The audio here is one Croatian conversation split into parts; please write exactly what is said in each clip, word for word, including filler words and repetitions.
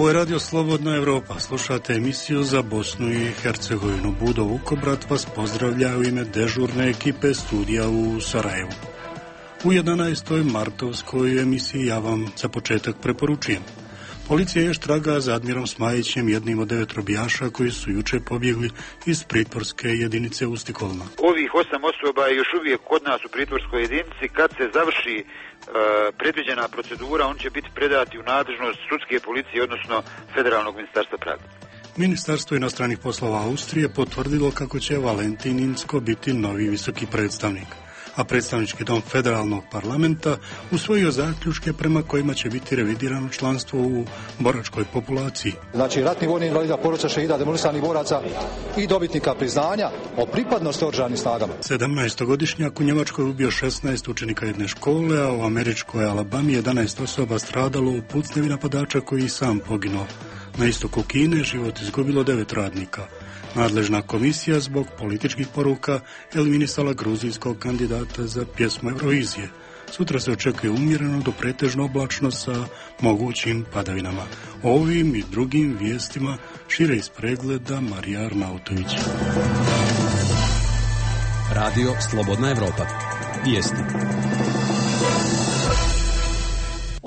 Ovo je Radio Slobodna Evropa. Slušate emisiju za Bosnu i Hercegovinu. Budo Vukobrat vas pozdravlja u ime dežurne ekipe studija u Sarajevu. U jedanaestoj martovskoj emisiji ja vam za početak preporučujem. Policija još traga za Admirom Smajićem, jednim od devet robijaša koji su juče pobjegli iz pritvorske jedinice u Stikolma. Ovih osam osoba je još uvijek kod nas u pritvorskoj jedinici. Kad se završi e, predviđena procedura, on će biti predati u nadležnost sudske policije, odnosno Federalnog ministarstva pravde. Ministarstvo inostranih poslova Austrije potvrdilo kako će Valentin Incko biti novi visoki predstavnik, a predstavnički dom federalnog parlamenta usvojio zaključke prema kojima će biti revidirano članstvo u boračkoj populaciji. Znači ratni vojni invalida, porodica šehida, demolisanih boraca i dobitnika priznanja o pripadnosti oružanim snagama. sedamnaestogodišnjak u Njemačkoj ubio šesnaest učenika jedne škole, a u američkoj Alabami jedanaest osoba stradalo u pucnjevi napadača koji i sam poginuo. Na istoku Kine život izgubilo devet radnika. Nadležna komisija zbog političkih poruka eliminisala gruzijskog kandidata za pjesmu Eurovizije. Sutra se očekuje umjereno do pretežno oblačno sa mogućim padavinama. O ovim i drugim vijestima šire iz pregleda Marija Arnautović. Radio Slobodna Evropa. Vijesti.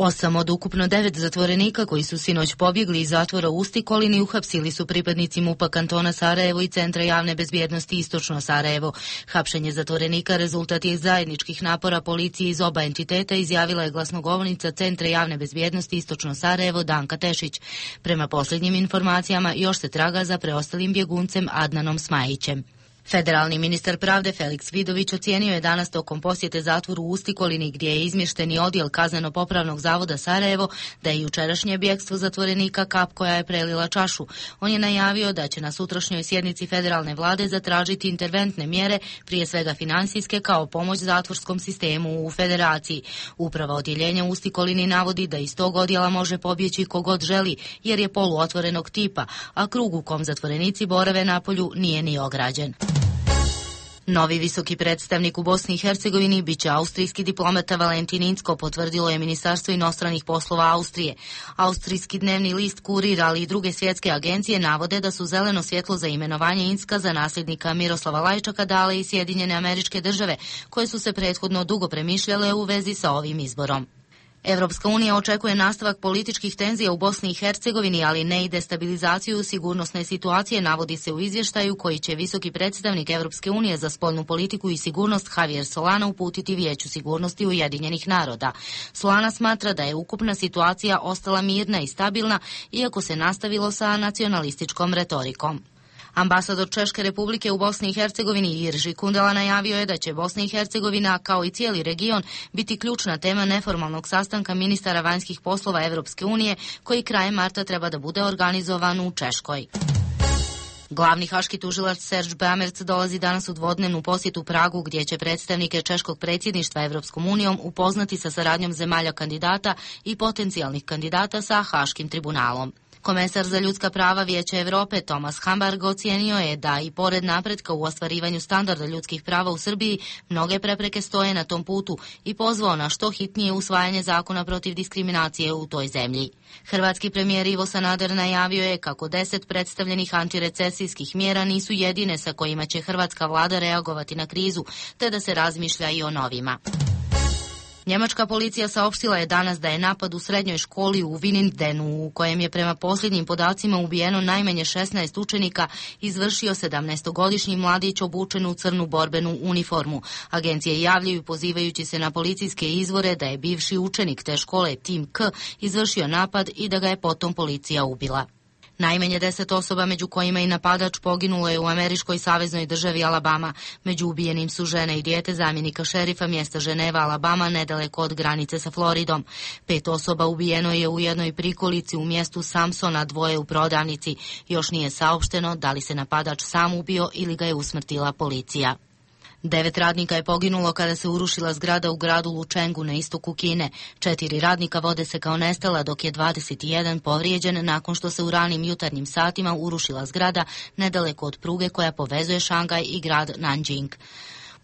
Osam od ukupno devet zatvorenika koji su sinoć pobjegli iz zatvora u Stikolini uhapsili su pripadnici MUP-a kantona Sarajevo i Centra javne bezbjednosti Istočno Sarajevo. Hapšenje zatvorenika rezultat je zajedničkih napora policije iz oba entiteta, izjavila je glasnogovornica Centra javne bezbjednosti Istočno Sarajevo Danka Tešić. Prema posljednjim informacijama još se traga za preostalim bjeguncem Adnanom Smajićem. Federalni ministar pravde Feliks Vidović ocijenio je danas tokom posjete zatvoru u Stikolini, gdje je izmješteni odjel kazneno-popravnog zavoda Sarajevo, da je jučerašnje bjegstvo zatvorenika kap koja je prelila čašu. On je najavio da će na sutrašnjoj sjednici federalne vlade zatražiti interventne mjere, prije svega financijske, kao pomoć zatvorskom sistemu u federaciji. Uprava odjeljenja u Stikolini navodi da iz tog odjela može pobjeći kogod želi, jer je poluotvorenog tipa, a krug u kom zatvorenici borave napolju nije ni ograđen. Novi visoki predstavnik u Bosni i Hercegovini biće austrijski diplomata Valentin Incko, potvrdilo je Ministarstvo inostranih poslova Austrije. Austrijski dnevni list Kurir, ali i druge svjetske agencije navode da su zeleno svjetlo za imenovanje Incka za nasljednika Miroslava Lajčaka dale i Sjedinjene Američke Države, koje su se prethodno dugo premišljale u vezi sa ovim izborom. Evropska unija očekuje nastavak političkih tenzija u Bosni i Hercegovini, ali ne i destabilizaciju sigurnosne situacije, navodi se u izvještaju koji će visoki predstavnik Evropske unije za spoljnu politiku i sigurnost Javier Solana uputiti Vijeću sigurnosti Ujedinjenih naroda. Solana smatra da je ukupna situacija ostala mirna i stabilna, iako se nastavilo sa nacionalističkom retorikom. Ambasador Češke Republike u Bosni i Hercegovini Irži Kundela najavio je da će Bosna i Hercegovina, kao i cijeli region, biti ključna tema neformalnog sastanka ministara vanjskih poslova Evropske unije, koji krajem marta treba da bude organizovan u Češkoj. Glavni haški tužilac Serge Bamerc dolazi danas u dvodnevnu posjetu Pragu, gdje će predstavnike češkog predsjedništva Evropskom unijom upoznati sa saradnjom zemalja kandidata i potencijalnih kandidata sa Haškim tribunalom. Komesar za ljudska prava Vijeća Europe Thomas Hammarberg ocijenio je da i pored napretka u ostvarivanju standarda ljudskih prava u Srbiji, mnoge prepreke stoje na tom putu i pozvao na što hitnije usvajanje zakona protiv diskriminacije u toj zemlji. Hrvatski premijer Ivo Sanader najavio je kako deset predstavljenih antirecesijskih mjera nisu jedine sa kojima će hrvatska vlada reagovati na krizu, te da se razmišlja i o novima. Njemačka policija saopštila je danas da je napad u srednjoj školi u Winnendenu, u kojem je prema posljednjim podacima ubijeno najmanje šesnaest učenika, izvršio sedamnaestogodišnji mladić obučen u crnu borbenu uniformu. Agencije javljaju pozivajući se na policijske izvore da je bivši učenik te škole Tim K izvršio napad i da ga je potom policija ubila. Najmanje deset osoba, među kojima i napadač, poginulo je u američkoj saveznoj državi Alabama. Među ubijenim su žene i dijete zamjenika šerifa mjesta Ženeva, Alabama, nedaleko od granice sa Floridom. Pet osoba ubijeno je u jednoj prikolici u mjestu Samsona, dvoje u prodavnici. Još nije saopšteno da li se napadač sam ubio ili ga je usmrtila policija. Devet radnika je poginulo kada se urušila zgrada u gradu Lučengu na istoku Kine. Četiri radnika vode se kao nestala, dok je dvadeset jedan povrijeđen nakon što se u ranim jutarnjim satima urušila zgrada nedaleko od pruge koja povezuje Šangaj i grad Nanjing.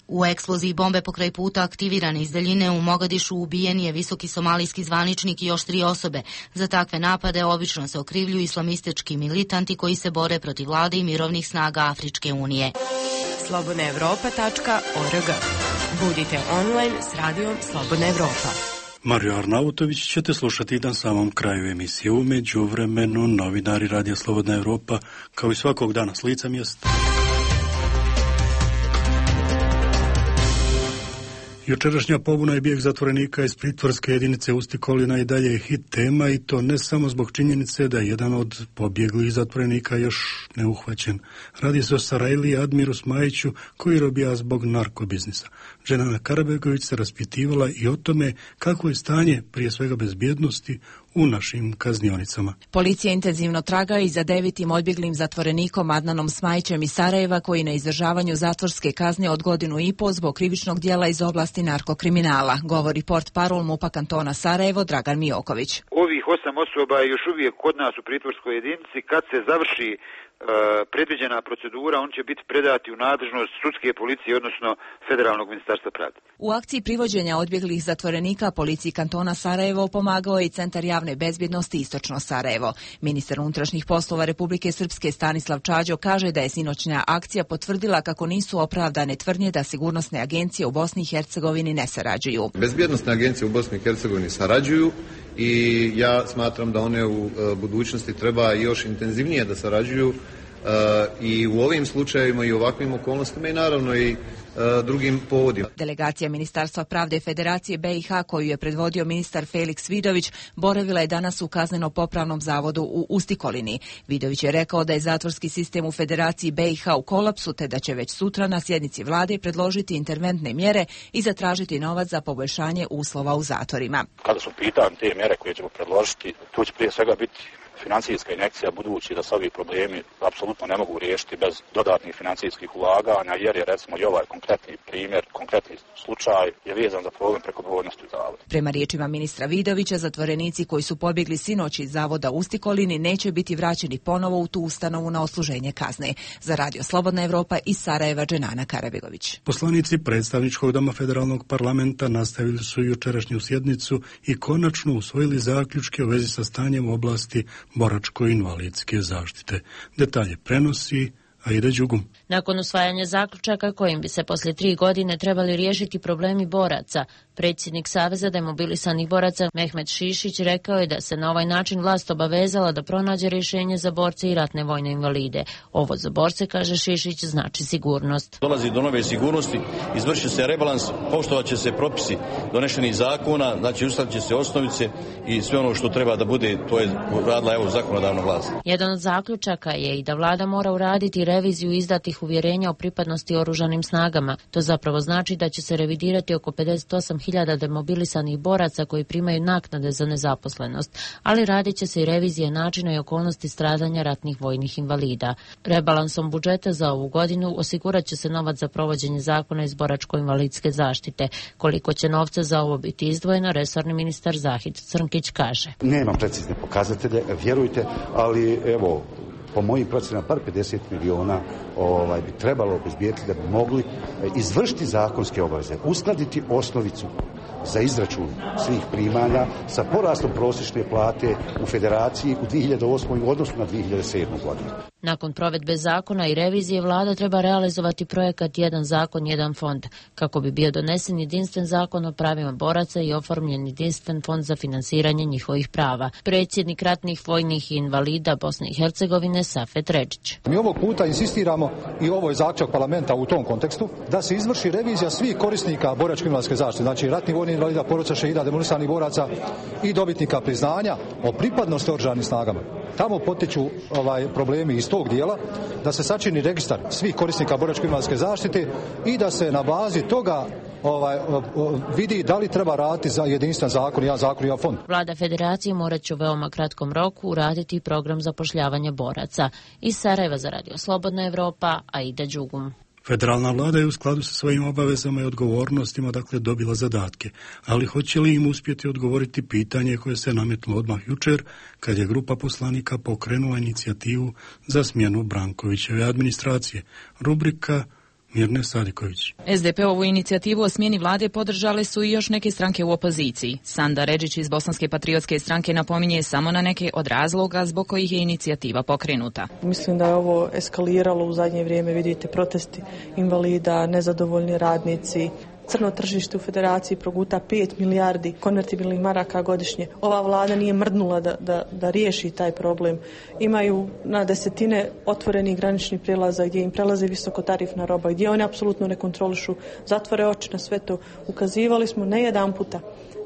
U eksploziji bombe pokraj puta aktivirane iz daljine u Mogadišu ubijen je visoki somalijski zvaničnik i još tri osobe. Za takve napade obično se okrivljuju islamistički militanti koji se bore protiv vlade i mirovnih snaga Afričke unije. slobodna evropa tačka org. Budite online s radijom Slobodna Evropa. Mario Arnautović ćete slušati na samom kraju emisije. U međuvremenu novinari Radija Slobodna Evropa kao i svakog dana s lica mjesta. Jučerašnja pobuna i bijeg zatvorenika iz pritvorske jedinice Ustikolina i dalje je hit tema i to ne samo zbog činjenice da je jedan od pobjeglih zatvorenika još neuhvaćen. Radi se o Sarajliji Admiru Smajiću koji robija zbog narkobiznisa. Dženana Karabegović se raspitivala i o tome kako je stanje prije svega bezbjednosti u našim kaznionicama. Policija intenzivno traga i za devetim odbjeglim zatvorenikom Adnanom Smajićem iz Sarajeva koji na izdržavanju zatvorske kazne od godinu i pol zbog krivičnog dijela iz oblasti narkokriminala, govori portparol MUP-a kantona Sarajevo Dragan Mijoković. Ovih osam osoba je još uvijek kod nas u pritvorskoj jedinici. Kad se završi e, predviđena procedura, on će biti predati u nadležnost sudske policije, odnosno Federalnog ministarstva pravde. U akciji privođenja odbjeglih zatvorenika policiji kantona Sarajevo pomagao je i Centar javne bezbjednosti Istočno Sarajevo. Ministar unutrašnjih poslova Republike Srpske Stanislav Čađo kaže da je sinoćna akcija potvrdila kako nisu opravdane tvrdnje da sigurnosne agencije u Bosni i Hercegovini ne sarađuju. Bezbjednosne agencije u Bosni i Hercegovini sarađuju i ja smatram da one u budućnosti treba još intenzivnije da sarađuju i u ovim slučajevima i ovakvim okolnostima i naravno i drugim povodima. Delegacija Ministarstva pravde Federacije B i H koju je predvodio ministar Feliks Vidović boravila je danas u kazneno-popravnom zavodu u Ustikolini. Vidović je rekao da je zatvorski sistem u Federaciji B i H u kolapsu te da će već sutra na sjednici vlade predložiti interventne mjere i zatražiti novac za poboljšanje uslova u zatvorima. Kada su pitanje te mjere koje ćemo predložiti, tu će prije svega biti financijska injekcija, budući da se ovi problemi apsolutno ne mogu riješiti bez dodatnih financijskih ulaganja, jer je recimo i ovaj konkretni primjer, konkretni slučaj je vezan za problem prekobrojnosti u zavodu. Prema riječima ministra Vidovića, zatvorenici koji su pobjegli sinoć iz zavoda u Ustikolini neće biti vraćeni ponovo u tu ustanovu na odsluženje kazne. Za Radio Slobodna Evropa iz Sarajeva Dženana Karabegović. Poslanici predstavničkog doma federalnog parlamenta nastavili su jučerašnju sjednicu i konačno usvojili zaključke u vezi sa stanjem u oblasti boračko-invalidske zaštite. Detalje prenosi Aida Đugum. Nakon usvajanja zaključaka kojim bi se poslije tri godine trebali riješiti problemi boraca, predsjednik Saveza demobilisanih boraca Mehmet Šišić rekao je da se na ovaj način vlast obavezala da pronađe rješenje za borce i ratne vojne invalide. Ovo za borce, kaže Šišić, znači sigurnost. Dolazi do nove sigurnosti, izvrši se rebalans, poštovat će se propisi donešenih zakona, znači uskladit će se osnovice i sve ono što treba da bude, to je radila evo zakonodavna vlast. Jedan od zaključaka je i da vlada mora uraditi reviziju izdatih uvjerenja o pripadnosti oružanim snagama. To zapravo znači da će se revidirati oko pedeset osam hiljada demobilisanih boraca koji primaju naknade za nezaposlenost, ali radit će se i revizije načina i okolnosti stradanja ratnih vojnih invalida. Rebalansom budžeta za ovu godinu osigurat će se novac za provođenje zakona iz boračko-invalidske zaštite. Koliko će novca za ovo biti izdvojeno, resorni ministar Zahid Crnkić kaže. Nemam precizne pokazatelje, vjerujte, ali evo, po mojim procenama par pedeset miliona ovaj, bi trebalo obezbijeti da bi mogli izvršiti zakonske obaveze, uskladiti osnovicu za izračun svih primanja sa porastom prosječne plate u Federaciji u dvije hiljade osmoj u odnosu na dvije hiljade sedmu godinu. Nakon provedbe zakona i revizije vlada treba realizovati projekat Jedan zakon, jedan fond, kako bi bio donesen jedinstven zakon o pravima boraca i oformljen jedinstven fond za finansiranje njihovih prava. Predsjednik ratnih vojnih invalida Bosne i Hercegovine Safet Redžić. Mi ovog puta insistiramo i ovo je zaključak parlamenta u tom kontekstu da se izvrši revizija svih korisnika boračko-invalidske zaštite, znači ratnih vojnih invalida, porodica šehida, demobilisanih boraca i dobitnika priznanja o pripadnosti oružanim snagama. Tamo potiču ovaj, problemi iz tog dijela, da se sačini registar svih korisnika boračko-invalidske zaštite i da se na bazi toga ovaj, vidi da li treba raditi za jedinstven zakon, jedan zakon, jedan fond. Vlada Federacije morat će u veoma kratkom roku uraditi program zapošljavanja boraca. Iz Sarajeva za Radio Slobodna Evropa, Aida Đugum. Federalna vlada je u skladu sa svojim obavezama i odgovornostima dakle dobila zadatke, ali hoće li im uspjeti odgovoriti pitanje koje se nametlo odmah jučer kad je grupa poslanika pokrenula inicijativu za smjenu Brankovićeve administracije. Rubrika Mirne Sadiković. S D P-ovu inicijativu o smjeni vlade podržale su i još neke stranke u opoziciji. Sanda Redžić iz Bosanske patriotske stranke napominje samo na neke od razloga zbog kojih je inicijativa pokrenuta. Mislim da je ovo eskaliralo u zadnje vrijeme, vidite protesti invalida, nezadovoljni radnici. Crno tržište u federaciji proguta pet milijardi konvertibilnih maraka godišnje. Ova vlada nije mrdnula da, da, da riješi taj problem. Imaju na desetine otvorenih graničnih prijelaza gdje im prelaze visokotarifna roba, gdje oni apsolutno ne kontrolišu, zatvore oči na sve to. Ukazivali smo ne jedan puta,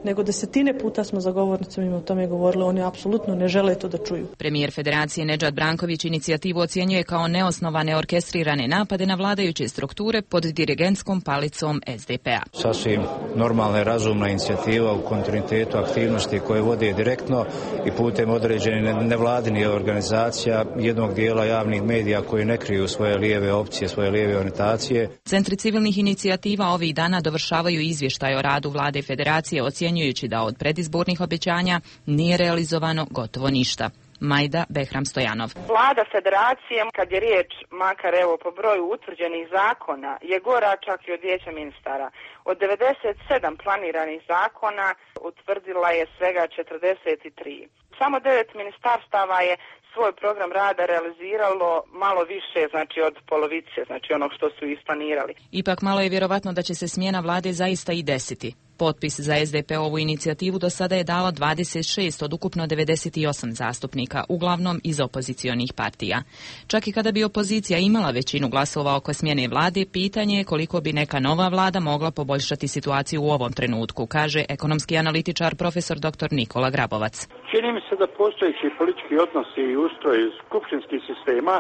nego desetine puta smo za govornicom im o tome govorili, oni apsolutno ne žele to da čuju. Premijer Federacije Nedžad Branković inicijativu ocjenjuje kao neosnovane orkestrirane napade na vladajuće strukture pod dirigentskom palicom S D P-a. Sasvim normalna i razumna inicijativa u kontinuitetu aktivnosti koje vode direktno i putem određenih nevladinih organizacija, jednog dijela javnih medija koji ne kriju svoje lijeve opcije, svoje lijeve orijentacije. Centri civilnih inicijativa ovih dana dovršavaju izvještaj o radu vlade Federacije, ocjenjujući da od predizbornih obećanja nije realizovano gotovo ništa. Majda Behram Stojanov. Vlada Federacije, kad je riječ makar evo po broju utvrđenih zakona, je gora čak i od vijeća ministara. Od devedeset sedam planiranih zakona utvrdila je svega četrdeset tri. Samo devet ministarstava je svoj program rada realiziralo malo više, znači od polovice, znači onog što su isplanirali. Ipak malo je vjerovatno da će se smjena vlade zaista i desiti. Potpis za S D P-ovu inicijativu do sada je dalo dvadeset šest od ukupno devedeset osam zastupnika, uglavnom iz opozicionih partija. Čak i kada bi opozicija imala većinu glasova oko smjene vlade, pitanje je koliko bi neka nova vlada mogla poboljšati situaciju u ovom trenutku, kaže ekonomski analitičar profesor doktor Nikola Grabovac. Čini mi se da postojeći politički odnosi i ustroj skupštinskih sistema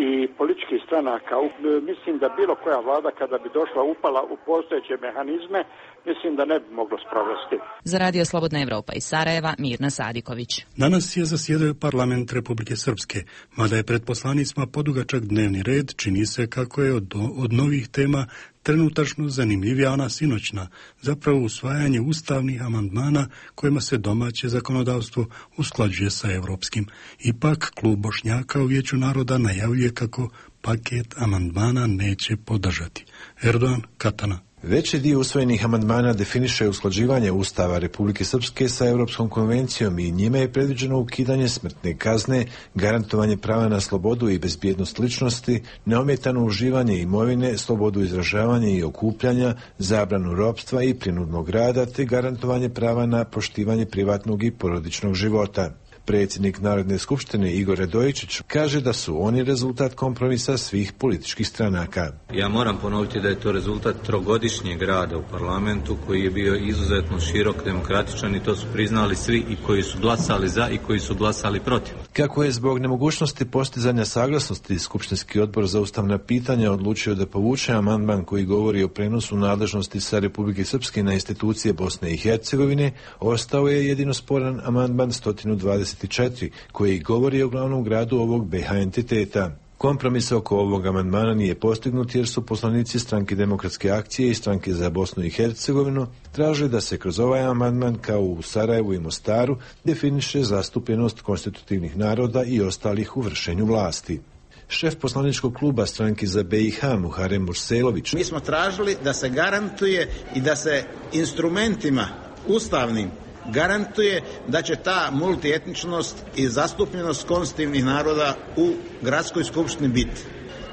i političkih stranaka, mislim da bilo koja vlada kada bi došla upala u postojeće mehanizme, mislim da ne bi moglo sprovesti. Za Radio Slobodna Evropa iz Sarajeva, Mirna Sadiković. Danas je zasjedao parlament Republike Srpske, mada je pred poslanicima podugačak dnevni red, čini se kako je od, od novih tema trenutačno zanimljivija ona sinoćna, zapravo usvajanje ustavnih amandmana kojima se domaće zakonodavstvo usklađuje sa europskim. Ipak, klub Bošnjaka u Vijeću naroda najavljuje kako paket amandmana neće podržati. Erdogan Katana. Veći dio usvojenih amandmana definiše usklađivanje Ustava Republike Srpske sa Europskom konvencijom i njime je predviđeno ukidanje smrtne kazne, garantovanje prava na slobodu i bezbjednost ličnosti, neometano uživanje imovine, slobodu izražavanja i okupljanja, zabranu ropstva i prinudnog rada te garantovanje prava na poštivanje privatnog i porodičnog života. Predsjednik Narodne skupštine Igor Radojičić kaže da su oni rezultat kompromisa svih političkih stranaka. Ja moram ponoviti da je to rezultat trogodišnjeg rada u parlamentu koji je bio izuzetno širok, demokratičan i to su priznali svi i koji su glasali za i koji su glasali protiv. Kako je zbog nemogućnosti postizanja saglasnosti Skupštinski odbor za ustavna pitanja odlučio da povuče amandman koji govori o prenosu nadležnosti sa Republike Srpske na institucije Bosne i Hercegovine, ostao je jedino sporan amandman sto dvadeset četiri koji govori o glavnom gradu ovog B H entiteta. Kompromis oko ovog amandmana nije postignut jer su poslanici Stranke demokratske akcije i Stranke za Bosnu i Hercegovinu tražili da se kroz ovaj amandman kao u Sarajevu i Mostaru definiše zastupljenost konstitutivnih naroda i ostalih u vršenju vlasti. Šef poslaničkog kluba Stranke za B i H Muharem Murselović. Mi smo tražili da se garantuje i da se instrumentima ustavnim garantuje da će ta multietničnost i zastupljenost konstitutivnih naroda u gradskoj skupštini biti.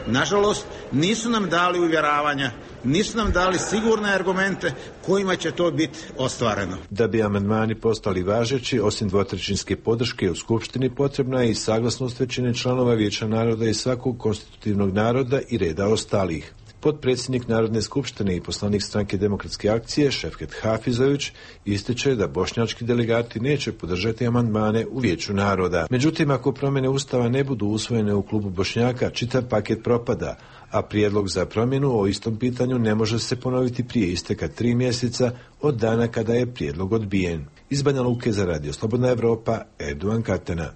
Nažalost, nisu nam dali uvjeravanja, nisu nam dali sigurne argumente kojima će to biti ostvareno. Da bi amandmani postali važeći, osim dvotrećinske podrške u skupštini, potrebna je i saglasnost većine članova Vijeća naroda i svakog konstitutivnog naroda i reda ostalih. Potpredsjednik Narodne skupštine i poslanik Stranke demokratske akcije Šefket Hafizović ističe da bošnjački delegati neće podržati amandmane u Vijeću naroda. Međutim, ako promjene Ustava ne budu usvojene u klubu Bošnjaka, čitav paket propada, a prijedlog za promjenu o istom pitanju ne može se ponoviti prije isteka tri mjeseca od dana kada je prijedlog odbijen. Iz Banja Luke za Radio Slobodna Evropa, Erdogan Katana.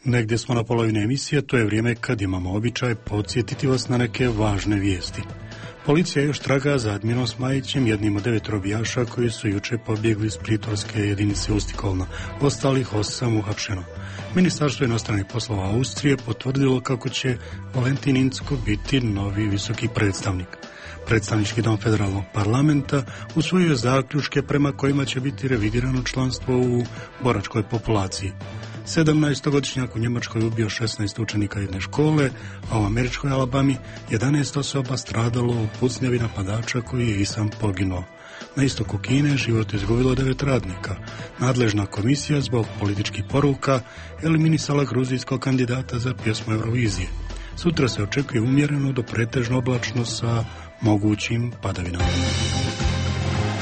Negdje smo na polovini emisije, to je vrijeme kad imamo običaj podsjetiti vas na neke važne vijesti. Policija još traga za Admirom Smajićem, jednim od devet robijaša koji su juče pobjegli iz pritvorske jedinice Ustikolna. Ostalih osam uhapšeno. Ministarstvo inostranih poslova Austrije potvrdilo kako će Valentin Incko biti novi visoki predstavnik. Predstavnički dom federalnog parlamenta usvojio zaključke prema kojima će biti revidirano članstvo u boračkoj populaciji. sedamnaestogodišnjak u Njemačkoj ubio šesnaest učenika jedne škole, a u američkoj Alabami jedanaest osoba stradalo u pucnjavi napadača koji je i sam poginuo. Na istoku Kine život izgubilo devet radnika. Nadležna komisija zbog političkih poruka eliminisala gruzijskog kandidata za pjesmu Eurovizije. Sutra se očekuje umjereno do pretežno oblačno sa mogućim padavinama.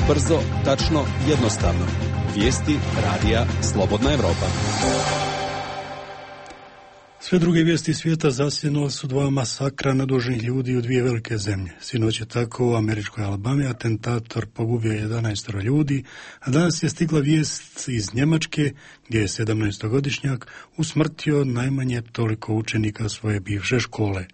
Brzo, tačno, jednostavno. Vijesti radija Slobodna Evropa. Sve druge vijesti svijeta zasjenula su dva masakra nedužnih ljudi u dvije velike zemlje. Sinoć je tako u američkoj Alabami atentator pogubio jedanaest ljudi, a danas je stigla vijest iz Njemačke gdje je sedamnaestogodišnjak usmrtio najmanje toliko učenika svoje bivše škole.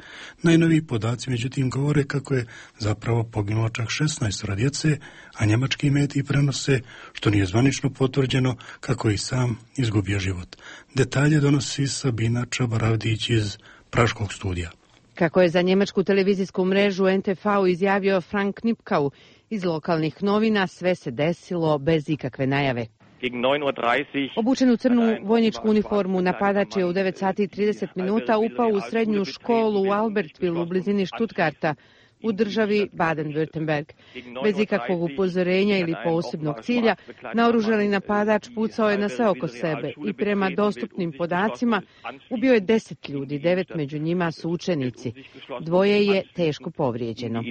Najnoviji podaci međutim govore kako je zapravo poginulo čak šesnaest djece, a njemački mediji prenose, što nije zvanično potvrđeno, kako je i sam izgubio život. Detalje donosi Sabina Čabaravdić iz Praškog studija. Kako je za njemačku televizijsku mrežu en te ve izjavio Frank Knipkau iz lokalnih novina, sve se desilo bez ikakve najave. Obučen u crnu vojničku uniformu, napadač je u devet sati i trideset minuta upao u srednju školu u Albertville u blizini Stuttgarta, u državi Baden-Württemberg. Bez ikakvog upozorenja ili posebnog cilja, naoružani napadač pucao je na sve oko sebe i prema dostupnim podacima ubio je deset ljudi, devet među njima su učenici. Dvoje je teško povrijeđeno.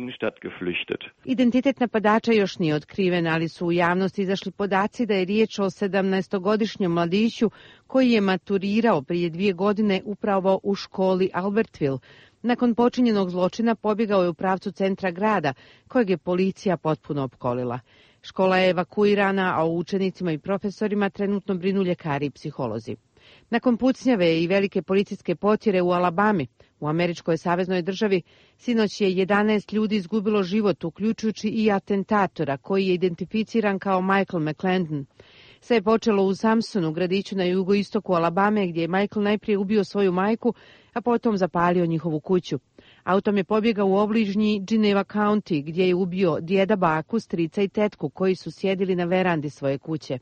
Identitet napadača još nije otkriven, ali su u javnosti izašli podaci da je riječ o sedamnaestogodišnjem mladiću koji je maturirao prije dvije godine upravo u školi Albertville. Nakon počinjenog zločina pobjegao je u pravcu centra grada, kojeg je policija potpuno opkolila. Škola je evakuirana, a o učenicima i profesorima trenutno brinu ljekari i psiholozi. Nakon pucnjave i velike policijske potjere u Alabami, u američkoj saveznoj državi, sinoć je jedanaest ljudi izgubilo život, uključujući i atentatora, koji je identificiran kao Michael McClendon. Sve je počelo u Samsonu, gradiću na jugoistoku Alabame, gdje je Michael najprije ubio svoju majku, a potom zapalio njihovu kuću. Autom je pobjegao u obližnji Geneva County, gdje je ubio djeda, baku, strica i tetku, koji su sjedili na verandi svoje kuće.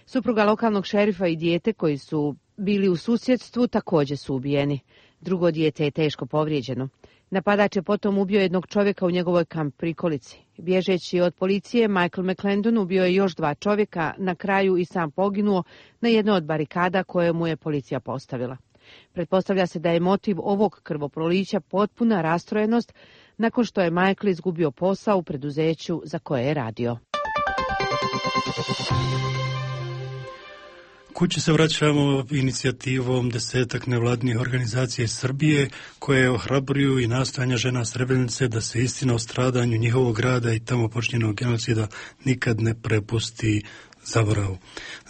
Supruga lokalnog šerifa i dijete, koji su bili u susjedstvu, također su ubijeni. Drugo dijete je teško povrijeđeno. Napadač je potom ubio jednog čovjeka u njegovoj kamp prikolici. Bježeći od policije, Michael McClendon ubio je još dva čovjeka, na kraju i sam poginuo na jednoj od barikada koje mu je policija postavila. Pretpostavlja se da je motiv ovog krvoprolića potpuna rastrojenost nakon što je Michael izgubio posao u preduzeću za koje je radio. Kući se vraćamo inicijativom desetak nevladnih organizacija iz Srbije koje ohrabruju i nastojanja žena Srebrenice da se istina o stradanju njihovog grada i tamo počinjenog genocida nikad ne prepusti zaboravu.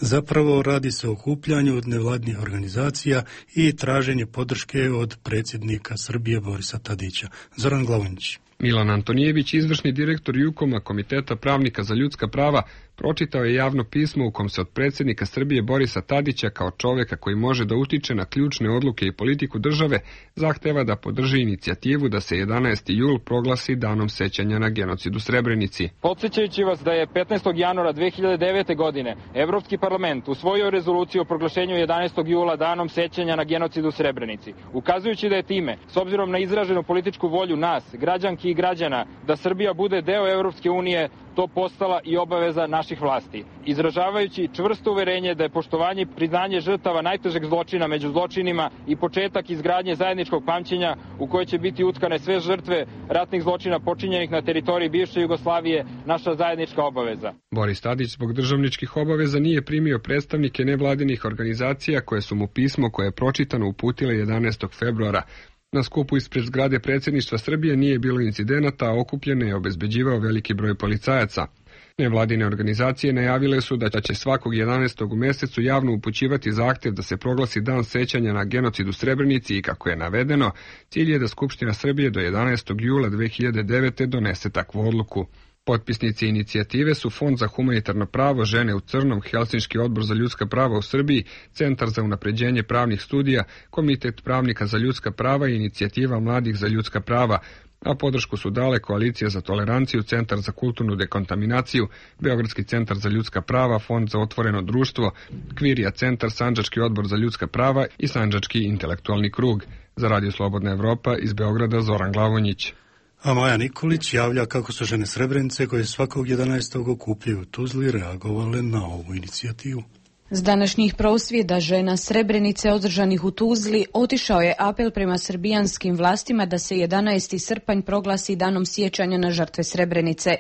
Zapravo radi se o okupljanju od nevladnih organizacija i traženje podrške od predsjednika Srbije Borisa Tadića. Zoran Glavonić. Milan Antonijević, izvršni direktor Jukoma, Komiteta pravnika za ljudska prava, pročitao je javno pismo u kom se od predsjednika Srbije Borisa Tadića kao čovjeka koji može da utiče na ključne odluke i politiku države, zahteva da podrži inicijativu da se jedanaesti jul proglasi danom sećanja na genocid u Srebrenici. Podsjećajući vas da je petnaestog januara dve hiljade devete. godine Evropski parlament usvojio rezoluciju o proglašenju jedanaestog jula danom sećanja na genocid u Srebrenici, ukazujući da je time, s obzirom na izraženu političku volju nas, građanki i građana, da Srbija bude deo Evropske unije, to postala i obaveza naših vlasti. Izražavajući čvrsto uverenje da je poštovanje i priznanje žrtava najtežeg zločina među zločinima i početak izgradnje zajedničkog pamćenja u kojoj će biti utkane sve žrtve ratnih zločina počinjenih na teritoriji bivše Jugoslavije, naša zajednička obaveza. Boris Tadić zbog državničkih obaveza nije primio predstavnike nevladinih organizacija koje su mu pismo koje je pročitano uputile jedanaestog februara. Na skupu ispred zgrade predsjedništva Srbije nije bilo incidenata, a okupljen je obezbeđivao veliki broj policajaca. Nevladine organizacije najavile su da će svakog jedanaestog u mjesecu javno upućivati zahtjev da se proglasi dan sećanja na genocid u Srebrenici i, kako je navedeno, cilj je da Skupština Srbije do jedanaestog jula dve hiljade devete. donese takvu odluku. Potpisnici inicijative su Fond za humanitarno pravo, Žene u crnom, Helsinški odbor za ljudska prava u Srbiji, Centar za unapređenje pravnih studija, Komitet pravnika za ljudska prava i Inicijativa mladih za ljudska prava, a podršku su dale Koalicija za toleranciju, Centar za kulturnu dekontaminaciju, Beogradski centar za ljudska prava, Fond za otvoreno društvo, Kvirija centar, Sandžački odbor za ljudska prava i Sandžački intelektualni krug. Za Radio Slobodna Evropa iz Beograda Zoran Glavonjić. A Maja Nikolić javlja kako su žene Srebrenice koje svakog jedanaestog okupljaju u Tuzli reagovale na ovu inicijativu. S današnjih prosvjeda žena Srebrenice održanih u Tuzli otišao je apel prema srbijanskim vlastima da se jedanaesti srpanj proglasi danom sjećanja na žrtve Srebrenice.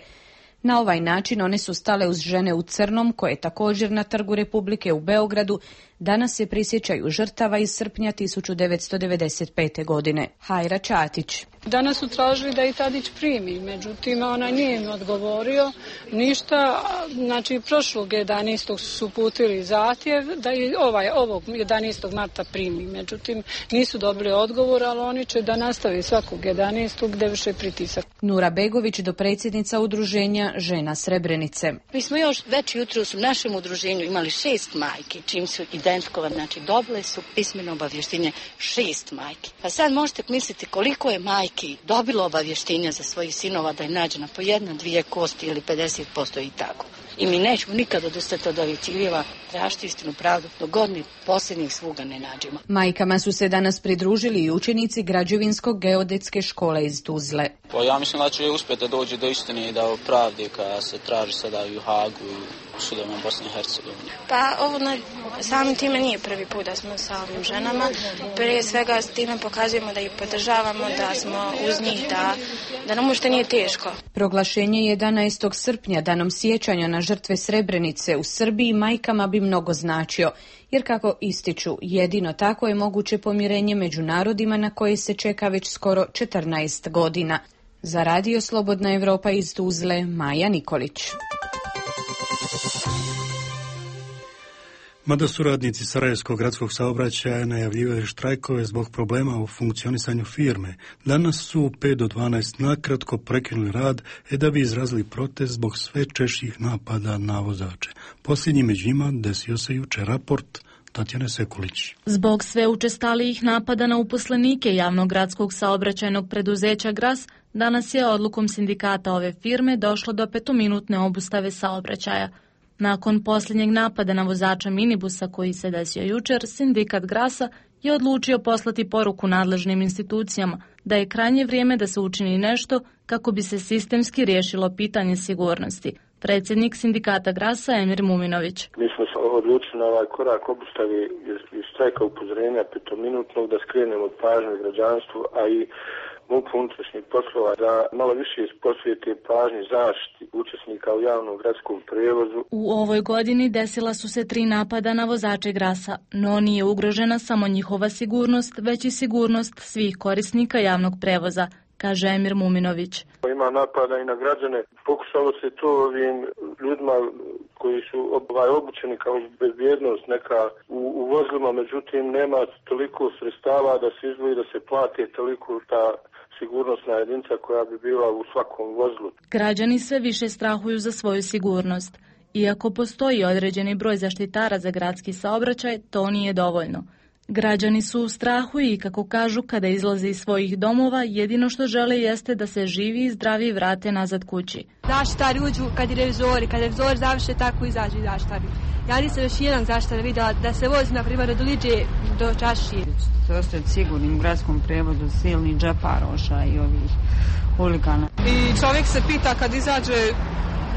Na ovaj način one su stale uz žene u crnom, koje također na Trgu Republike u Beogradu danas se prisjećaju žrtava iz srpnja tisuću devetsto devedeset pete. godine. Hajra Čatić. Danas su tražili da i Tadić primi, međutim ona nije im odgovorio ništa. Znači prošlog jedanaestog su putili zahtjev da i ovaj, ovog jedanaestog marta primi, međutim nisu dobili odgovor, ali oni će da nastavi svakog jedanaestog gdje vrše pritisak. Nura Begović, dopredsjednica udruženja Žena Srebrenice. Mi smo još već jutros u našem udruženju imali šest majki, čim su identifikovane, znači dobile su pismeno obavještenje šest majki. Pa sad možete misliti koliko je majki dobilo obavještenja za svojih sinova da je nađena po jedna, dvije kosti ili pedeset posto i tako. I mi nećemo nikada odustati od ovih ciljeva, tražiti istinu, pravdu, dok god mi posljednjih sluga ne nađemo. Majkama su se danas pridružili i učenici Građevinskog geodetske škole iz Tuzle. Pa ja mislim da će uspjeti da dođe do istine i da pravdi koja se traži sada i u Hagu i u sudovima Bosne i Hercegovine. Pa ovo na samim time nije prvi put da smo sa ovim ženama. Prije svega s time pokazujemo da ih podržavamo, da smo uz njih, da, da nam uopšte nije teško. Proglašenje jedanaestog srpnja danom sjećanja na žrtve Srebrenice u Srbiji majkama bi mnogo značio, jer kako ističu, jedino tako je moguće pomirenje među narodima na koje se čeka već skoro četrnaest godina. Za Radio Slobodna Evropa iz Tuzle, Maja Nikolić. Mada su radnici Sarajevskog gradskog saobraćaja najavljivali štrajkove zbog problema u funkcionisanju firme, danas su u pet do dvanaest nakratko prekinuli rad e da bi izrazili protest zbog sve češćih napada na vozače. Posljednji među njima desio se jučer. Raport Tatjane Sekulić. Zbog sve učestalijih napada na uposlenike javnog gradskog saobraćajnog preduzeća Gras, danas je odlukom sindikata ove firme došlo do petominutne obustave saobraćaja. Nakon posljednjeg napada na vozača minibusa koji se desio jučer, sindikat Grasa je odlučio poslati poruku nadležnim institucijama da je krajnje vrijeme da se učini nešto kako bi se sistemski riješilo pitanje sigurnosti. Predsjednik sindikata Grasa Emir Muminović. Mi smo se odlučili na ovaj korak obustavi iz štrajka upozorenja petominutnog da skrenemo od pažnje građanstvu, a i MUP unutrašnjih poslova da malo više posvijete pažnji zaštiti učesnika u javnom gradskom prijevozu. U ovoj godini desila su se tri napada na vozače Grasa, no nije ugrožena samo njihova sigurnost, već i sigurnost svih korisnika javnog prevoza, kaže Emir Muminović. Ima napada i na građane. Pokušalo se to ovim ljudima koji su ovaj, obučeni kao bezbjednost neka u, u vozilima, međutim nema toliko sredstava da se izdvoji da se plati toliko ta sigurnosna jedinica koja bi bila u svakom vozilu. Građani sve više strahuju za svoju sigurnost. Iako postoji određeni broj zaštitara za gradski saobraćaj, to nije dovoljno. Građani su u strahu i, kako kažu, kada izlaze iz svojih domova, jedino što žele jeste da se živi i zdravi vrate nazad kući. Zaštitari uđu kad je revizori, kad revizori završe, tako izađu i zaštitari. Ja nisam još jednog zaštitara vidjela da se vozi, na primjer, od Liđe do Čašije. Se ostati sigurnim u gradskom prevodu silnih džeparoša i ovih huligana. I čovjek se pita kad izađe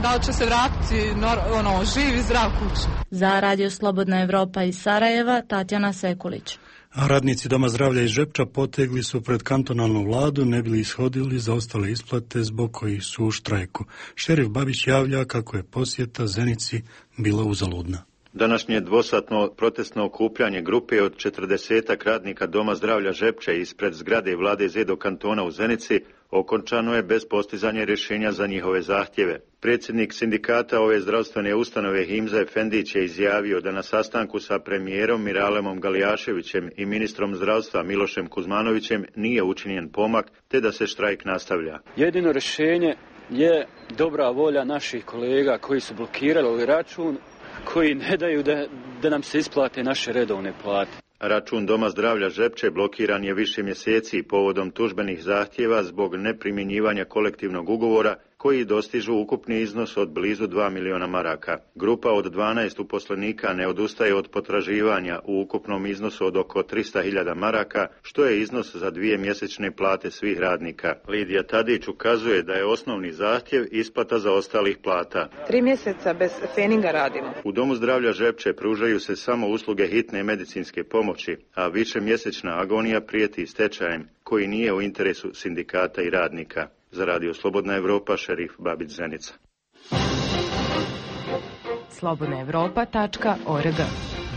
da li će se vratiti ono, živ i zdrav kući. Za Radio Slobodna Evropa iz Sarajeva, Tatjana Sekulić. A radnici Doma zdravlja iz Žepča potegli su pred kantonalnu vladu, ne bili ishodili za ostale isplate zbog kojih su u štrajku. Šerif Babić javlja kako je posjeta Zenici bila uzaludna. Današnje dvosatno protestno okupljanje grupe od četrdesetak radnika Doma zdravlja Žepče ispred zgrade vlade Zedo kantona u Zenici okončano je bez postizanja rješenja za njihove zahtjeve. Predsjednik sindikata ove zdravstvene ustanove Himza Efendić je izjavio da na sastanku sa premijerom Miralemom Galijaševićem i ministrom zdravstva Milošem Kuzmanovićem nije učinjen pomak, te da se štrajk nastavlja. Jedino rješenje je dobra volja naših kolega koji su blokirali ovaj račun, koji ne daju da, da nam se isplate naše redovne plate. Račun Doma zdravlja Žepče blokiran je više mjeseci povodom tužbenih zahtjeva zbog neprimjenjivanja kolektivnog ugovora koji dostižu ukupni iznos od blizu dva milijuna maraka. Grupa od dvanaest uposlenika ne odustaje od potraživanja u ukupnom iznosu od oko trista hiljada maraka, što je iznos za dvije mjesečne plate svih radnika. Lidija Tadić ukazuje da je osnovni zahtjev isplata za ostalih plata. Tri mjeseca bez feninga radimo. U Domu zdravlja Žepče pružaju se samo usluge hitne medicinske pomoći, a višemjesečna agonija prijeti stečajem koji nije u interesu sindikata i radnika. Za Radio Slobodna Evropa, Šerif Babić, Zenica. slobodna evropa tačka org.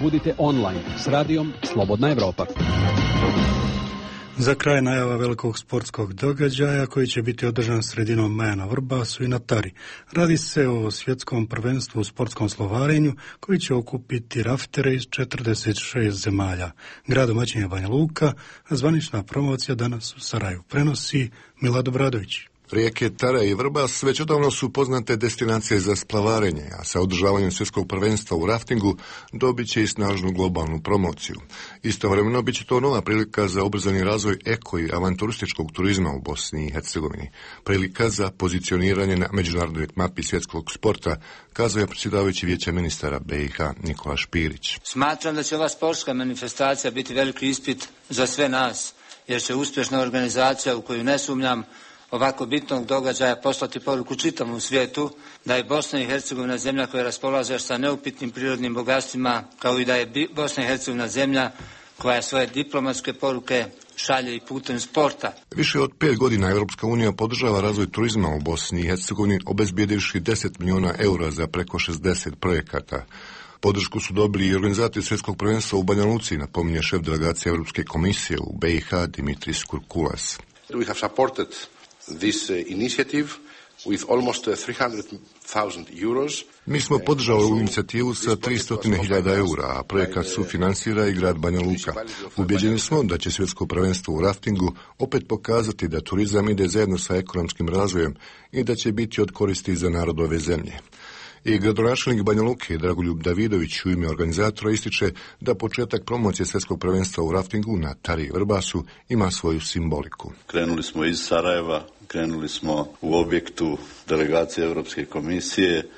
Budite online s radijom Slobodna Evropa. Za kraj najava velikog sportskog događaja koji će biti održan sredinom maja na Vrbasu i na Tari. Radi se o svjetskom prvenstvu u sportskom slovarenju koji će okupiti raftere iz četrdeset šest zemalja. Grad domaćin je Banja Luka, a zvanična promocija danas u Sarajevu prenosi Milad Obradović. Rijeke Tara i Vrbas već odavno su poznate destinacije za splavarenje, a sa održavanjem svjetskog prvenstva u raftingu dobit će i snažnu globalnu promociju. Istovremeno bit će to nova prilika za ubrzani razvoj eko i avanturističkog turizma u Bosni i Hercegovini. Prilika za pozicioniranje na međunarodnoj mapi svjetskog sporta, kazao je predsjedavajući Vijeća ministara B i H Nikola Špirić. Smatram da će ova sportska manifestacija biti veliki ispit za sve nas, jer će uspješna organizacija u koju ne sumnjam ovako bitnog događaja poslati poruku čitavom svijetu da je Bosna i Hercegovina zemlja koja raspolaže sa neupitnim prirodnim bogatstvima, kao i da je Bosna i Hercegovina zemlja koja svoje diplomatske poruke šalje i putem sporta. Više od pet godina Europska unija podržava razvoj turizma u Bosni i Hercegovini, obezbijedivši deset milijuna eura za preko šezdeset projekata. Podršku su dobili i organizatori svjetskog prvenstva u Banja Luci, napominje šef delegacije Europske komisije u B i H Dimitris Kurkulas. We have supported this uh, initiative with almost three hundred thousand euros. Mi smo podržali ovu inicijativu sa tristo hiljada eura, a projekat sufinansira i grad Banja Luka. Ubjeđeni smo da će svjetsko prvenstvo u raftingu opet pokazati da turizam ide zajedno sa ekonomskim razvojem i da će biti od koristi za narod ove zemlje. I gradonačelnik Banja Luke Dragoljub Davidović u ime organizatora ističe da početak promocije svjetskog prvenstva u raftingu na Tari i Vrbasu ima svoju simboliku. Krenuli smo iz Sarajeva, krenuli smo u objektu delegacije Europske komisije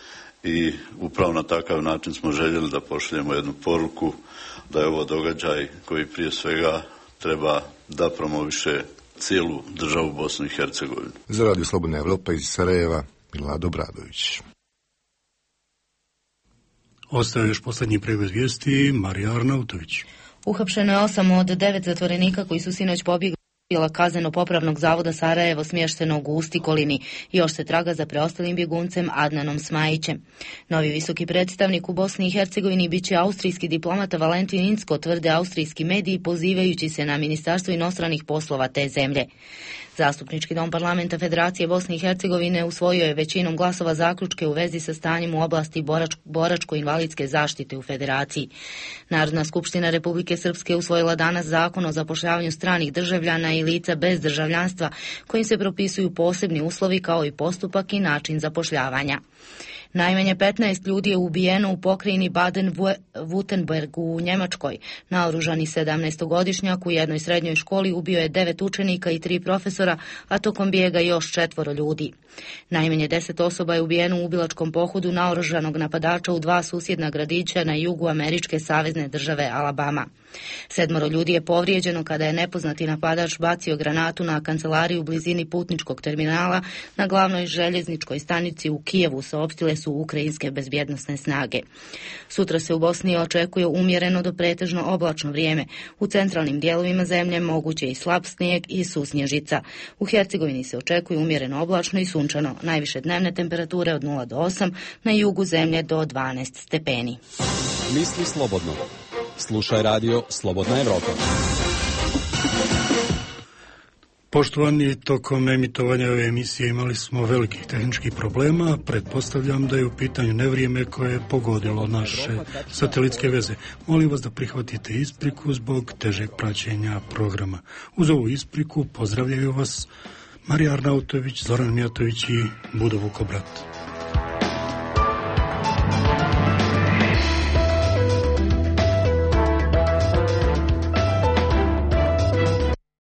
i upravo na takav način smo željeli da pošaljemo jednu poruku da je ovo događaj koji prije svega treba da promoviše cijelu državu Bosnu i Hercegovinu. Za Radio Slobodna Evropa iz Sarajeva, Milad Obradović. Ostaje još posljednji pregled vijesti, Marija Arnautović. Uhapšeno je osam od devet zatvorenika koji su sinoć pobjegli kazneno-popravnog zavoda Sarajevo smještenog u Ustikolini. Još se traga za preostalim bjeguncem Adnanom Smajićem. Novi visoki predstavnik u Bosni i Hercegovini bit će austrijski diplomata Valentin Incko, tvrde austrijski mediji pozivajući se na Ministarstvo inostranih poslova te zemlje. Zastupnički dom parlamenta Federacije Bosne i Hercegovine usvojio je većinom glasova zaključke u vezi sa stanjem u oblasti borač, boračko-invalidske zaštite u Federaciji. Narodna skupština Republike Srpske usvojila danas zakon o zapošljavanju stranih državljana i lica bez državljanstva, kojim se propisuju posebni uslovi kao i postupak i način zapošljavanja. Najmanje petnaest ljudi je ubijeno u pokrajini Baden-Württemberg u Njemačkoj. Naoružani sedamnaestogodišnjak u jednoj srednjoj školi ubio je devet učenika i tri profesora, a tokom bijega još četvoro ljudi. Najmanje deset osoba je ubijeno u ubilačkom pohodu naoružanog napadača u dva susjedna gradića na jugu američke savezne države Alabama. Sedmoro ljudi je povrijeđeno kada je nepoznati napadač bacio granatu na kancelariju u blizini putničkog terminala na glavnoj željezničkoj stanici u Kijevu, saopštile su ukrajinske bezbjednosne snage. Sutra se u Bosni očekuje umjereno do pretežno oblačno vrijeme. U centralnim dijelovima zemlje moguće i slab snijeg i susnježica. U Hercegovini se očekuje umjereno oblačno i sunčano. Najviše dnevne temperature od nula do osam, na jugu zemlje do dvanaest stepeni. Misli slobodno. Slušaj radio Slobodna Evropa. Poštovani, tokom emitovanja ove emisije imali smo velikih tehničkih problema. Pretpostavljam da je u pitanju nevrijeme koje je pogodilo naše satelitske veze. Molim vas da prihvatite ispriku zbog težeg praćenja programa. Uz ovu ispriku pozdravljaju vas Marija Arnautović, Zoran Mijatović i Budo Vukobrat.